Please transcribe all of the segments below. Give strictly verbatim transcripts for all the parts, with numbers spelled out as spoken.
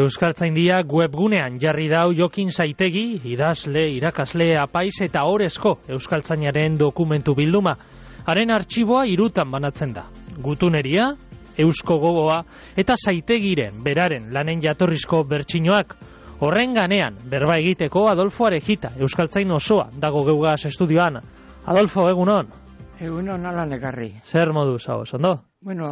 Euskaltzaindia webgunean jarri dau Jokin Saitegi, idazle, irakasle, apaiz eta orezko euskaltzainaren dokumentu bilduma. Haren artxiboa hirutan banatzen da. Gutuneria, eusko gogoa eta Saitegiren beraren lanen jatorrizko bertsinoak. Horren ganean, berba egiteko Adolfo Arejita, euskaltzain osoa, dago geugaz estudioan. Adolfo, egunon? Egunon ala negarri. Zer moduz, hau, ondo? Bueno,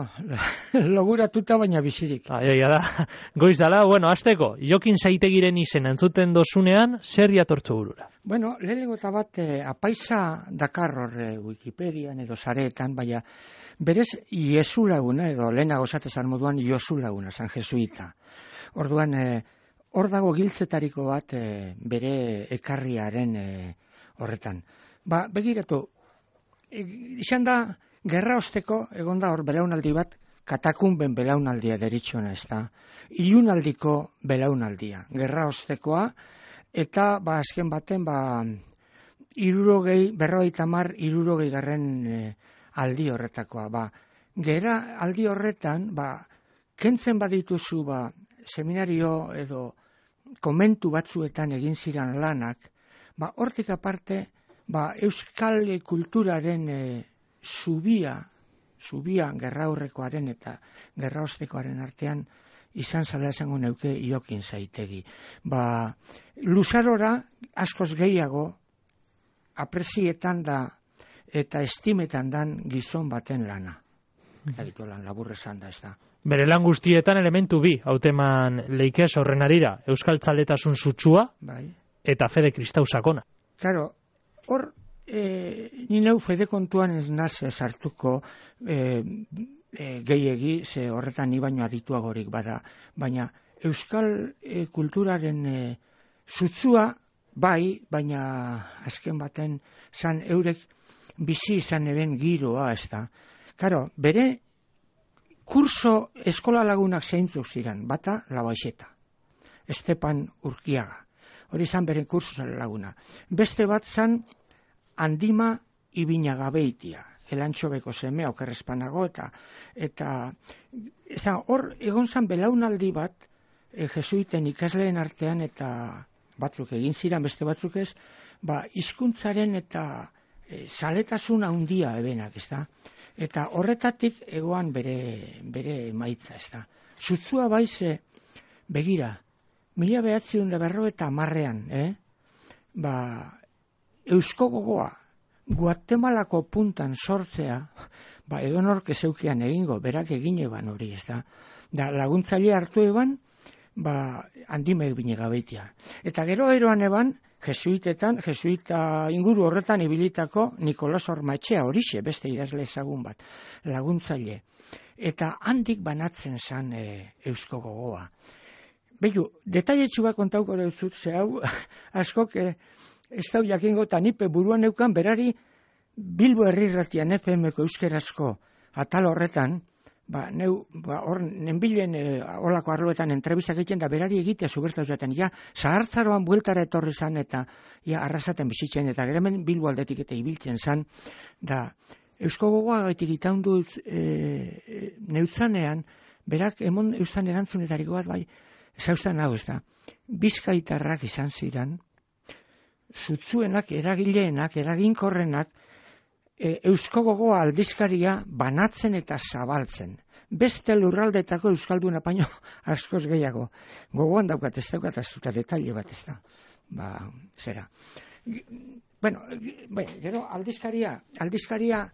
loguratuta baina bizirik. Aia da, goiz dala, bueno, azteko, Jokin Saitegiren izen entzuten dozunean, zer jatortzu burura? Bueno, lehenengo eta bat, eh, apaisa dakar horre Wikipedian edo sareetan, baina berez Iesu laguna, edo lehenago esatezan moduan Josu laguna, San Jesuita. Orduan, eh, hor dago giltzetariko bat eh, bere ekarriaren eh, horretan. Ba, begiratu, e, izan da, gerra osteko, egon da hor belaunaldi bat, katakunben belaunaldia deritxona ez da. Ilunaldiko belaunaldia, gerra ostekoa, eta ba, azken baten, ba, irurogei, berrogeita hamar, irurogei garren e, aldi horretakoa. Ba, gera aldi horretan, ba, kentzen badituzu, ba, seminario edo komentu batzuetan egin ziren lanak, ba, hortik aparte, ba, euskal kulturaren e, zubia, zubia gerra aurrekoaren eta gerra ostekoaren artean izan zala esango neuke Jokin Saitegi. Ba, luzarora askoz gehiago aprezietan da eta estimetan dan gizon baten lana. Eta gitu lan labur esan da ez da. Bere lan guztietan elementu bi, hauteman leikez horren arira, euskal txaletasun sutsua bai. Eta fede kristau sakona. Claro, hor E, ni neu fede kontuan ez naz sartuko e, e, gehiegi, ze horretan ni baino adituagorik bada, baina euskal e, kulturaren e, zutzua bai, baina azken baten zan eurek bizi izan eben giroa ez da. Karo, bere kurso eskola lagunak zeintzuk ziren, bata Labaixeta, Estepan Urkiaga, hori zan bere kurso laguna. Beste bat zan Andima Ibinagabeitia, elantxobeko semea, okerrezpanago, eta eta eza, hor egon zan belaunaldi bat e, jesuiten ikasleen artean, eta batzuk egin ziren, beste batzuk ez, ba, hizkuntzaren eta e, zaletasun handia ebenak, ez da? Eta horretatik egoan bere, bere emaitza, ez da? Zutzua baize, begira, mila behatziehun da berro eta hamarrean, eh? Ba, eusko gogoa, Guatemalako puntan sortzea, ba, edonork ezeukian egingo, berak egin eban hori, ez da. Da, laguntzaile hartu eban, ba, Andima Ibinagabeitia. Eta gero eroan eban, jesuitetan, jesuita inguru horretan ibilitako Nikolas Ormaetxea horixe, beste idazle ezagun bat, laguntzaile. Eta handik banatzen zan e, eusko gogoa. Beiu, detailetxu bat kontauko dut ze hau, askok, e, ez dau jakingo, eta nipe buruan neukan berari Bilbo Herrirratian F M-ko euskerazko atal horretan, ba, neu, ba, hor, nenbilen e, olako arloetan entrevistak egiten da berari egitea zubertza zaten, ja, zahartzaroan bueltara etorri zan eta ja, arrasaten bizitzen, eta geremen Bilbo aldetik eta ibiltzen zan, da, eusko gogoa gaitik itaundu e, neutzanean, berak emon eustan erantzunetariko bat, bai, zauztan hau ez da, Bizkaitarrak izan ziren, zutzuenak, eragileenak, eraginkorrenak, e, eusko gogoa aldizkaria banatzen eta zabaltzen. Beste lurraldetako euskalduna paino askoz gehiago. Gogoan daukat ez daukat azuta detaile bat ez da. Ba, zera. Bueno, bai, gero aldizkaria, aldizkaria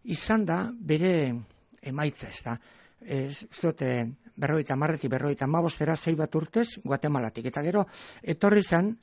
izan da bere emaitza ez da. Ez zote berroita marretik, berroita mabostera zei bat urtez, Guatemalatik. Eta gero, etorri zan,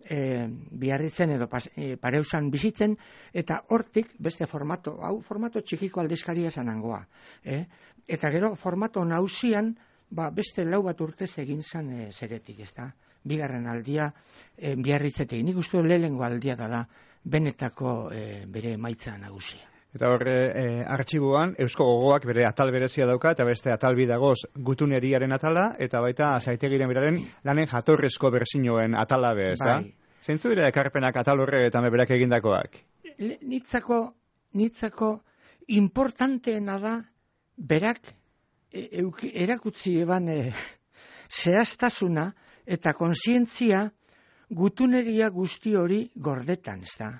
E, biarritzen edo pas, e, pareusan bizitzen, eta hortik beste formato, hau formato txikiko aldizkaria zanangoa. Eh? Eta gero formato nausian, ba, beste lau bat urtez egin zan e, zeretik, ez da? Bigarren aldia e, biarritzetik. Nik uste lehengo aldia dela benetako e, bere emaitza nagusia. Eta horre, e, artxiboan, eusko gogoak bere atal berezia dauka, eta beste atal bidagoz gutuneriaren atala, eta baita Saitegiren beraren lanen jatorrezko berzinoen atala be, ez da? Bai. Zeintzu dira ekarpenak atal horre eta berak egindakoak? Nitzako, nitzako importanteena da, berak e, euk, erakutsi eban e, zehaztasuna eta kontzientzia gutuneria guzti hori gordetan, ez da.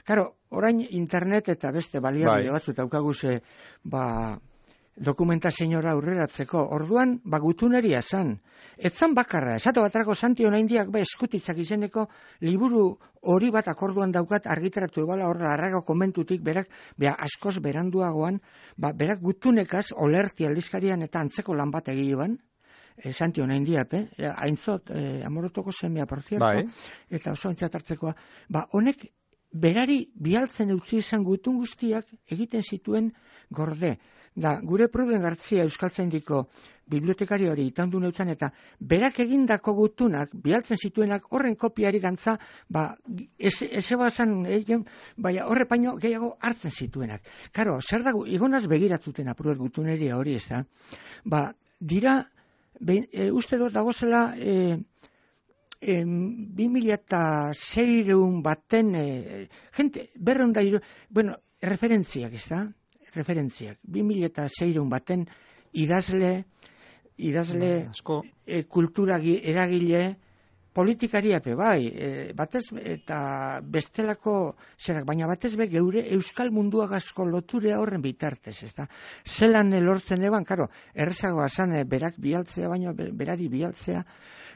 Karo, orain internet eta beste baliabide bai. batzut daukagu ze, ba, dokumentazioa aurreratzeko. Orduan, ba, gutuneria zan. Etzan bakarra, esatu batarako Santi Onaindiak ba eskutitzak izeneko liburu hori bat akorduan daukat argitaratu ebala horra arrago komentutik berak, beha askoz beranduagoan, ba, berak gutunekaz olerti aldizkarian eta antzeko lan bat egileban, e, Santi Onaindiak, eh? Aintzot, e, amorotoko semea, por cierto, bai. eta oso aintzat hartzekoa, ba, honek berari bialtzen utzi izan gutun guztiak egiten zituen gorde. Da, gure Pruden Gartzia Euskaltzaindiko bibliotekari hori itandu neutzan eta berak egindako gutunak, bialtzen zituenak horren kopiari gantza, ba, eze bazan, egin, baina horre paino gehiago hartzen zituenak. Karo, zer dago, igonaz begiratzuten apruet gutuneria hori, ez da? Ba, dira, be, e, uste dut dagozela, e, e, bi mila eta seireun baten, e, gente, berreun da, bueno, referentziak, ez da? referentziak. bi mila eta seireun baten idazle, idazle asko e, kultura eragile, politikariape bai, e, batez eta bestelako zerak, baina batez be geure euskal munduagazko loturea horren bitartez, ez da? Zelan lortzen eban, karo, errezagoa zan e, berak bialtzea, baina berari bialtzea,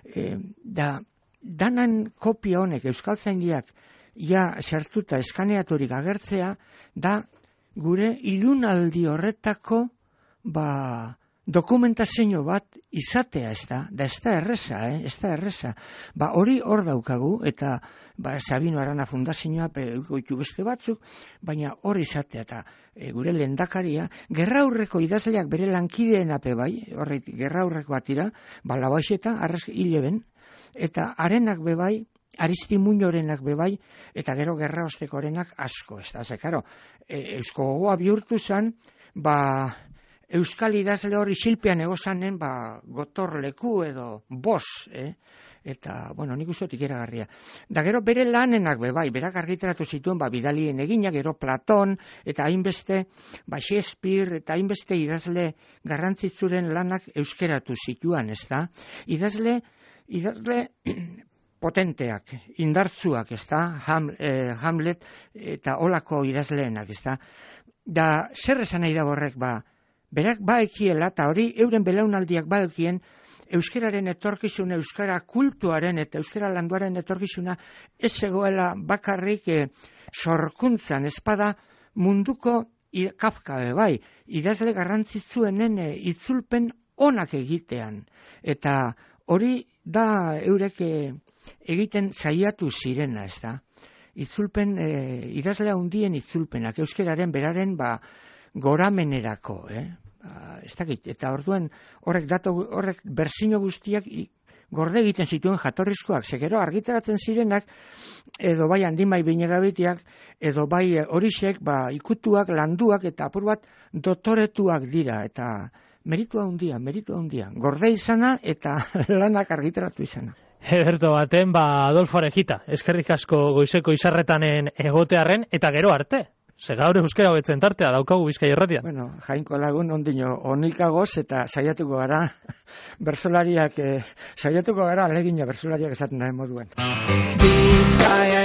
e, da, danan kopia honek euskaltzaindiak ja sartuta eskaneaturik agertzea, da gure ilunaldi horretako ba, dokumentazio bat izatea, ez da, da ez da erreza, eh? ez da erreza. Ba, hori hor daukagu, eta ba, Sabino Arana fundazioa goitu beste batzuk, baina hor izatea, eta e, gure lehendakaria, gerraurreko idazleak bere lankideen ape bai, horret gerraurreko atira, ba, labaixeta, arraz hileben, eta arenak bebai, Aristi Muñorenak bebai, eta gero gerra ostekorenak asko, ez da, ze, karo, e, eusko gogoa bihurtu zan, ba, euskal idazle hori silpean egozanen, ba, gotorleku edo bos, eh? Eta, bueno, nik ustotik eragarria. Da gero bere lanenak bebai, berak argitaratu zituen, ba, bidalien eginak, gero Platon, eta hainbeste, ba, Shakespeare, eta hainbeste idazle garrantzitzuren lanak euskeratu zituen, ez da? Idazle, idazle, potenteak, indartzuak, ez da, Ham, eh, Hamlet eta olako idazleenak, ez da. Da, zer esan nahi da horrek, ba, berak baekiela, eta hori euren belaunaldiak baekien, euskararen etorkizuna, euskara kultuaren eta euskara landuaren etorkizuna ez egoela bakarrik eh, sorkuntzan, espada munduko Kafka bai, idazle garrantzitzuenen eh, itzulpen onak egitean, eta hori da eurek eh, egiten saiatu zirena, ez da. Itzulpen, e, idazle handien itzulpenak, euskeraren beraren ba, goramenerako, eh? Ba, ez dakit, eta orduan horrek dato, horrek berzino guztiak i, gorde egiten zituen jatorrizkoak, segero argitaratzen zirenak, edo bai handimai binegabitiak, edo bai horixek, ba, ikutuak, landuak, eta apur bat dotoretuak dira, eta meritua handia, meritua handia. Gorde izana eta lanak argitaratu izana. Ederto baten, ba, Adolfo Arejita, eskerrik asko goizeko izarretanen egotearren, eta gero arte. Ze gaur euskera hobetzen tartea, daukagu Bizkai Irratia. Bueno, Jainko Lagun ondino onikagoz eta saiatuko gara, bersolariak, eh, saiatuko gara alegina bersolariak esaten da moduen. Bizkaia